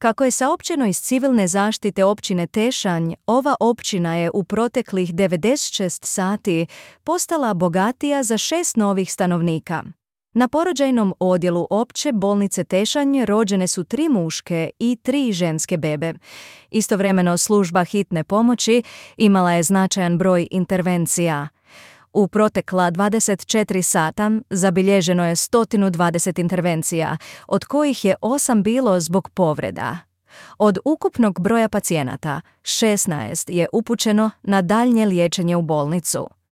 Kako je saopćeno iz civilne zaštite općine Tešanj, ova općina je u proteklih 96 sati postala bogatija za 6 novih stanovnika. Na porođajnom odjelu opće bolnice Tešanj rođene su 3 muške i 3 ženske bebe. Istovremeno služba hitne pomoći imala je značajan broj intervencija. U protekla 24 sata zabilježeno je 120 intervencija, od kojih je 8 bilo zbog povreda. Od ukupnog broja pacijenata, 16 je upućeno na daljnje liječenje u bolnicu.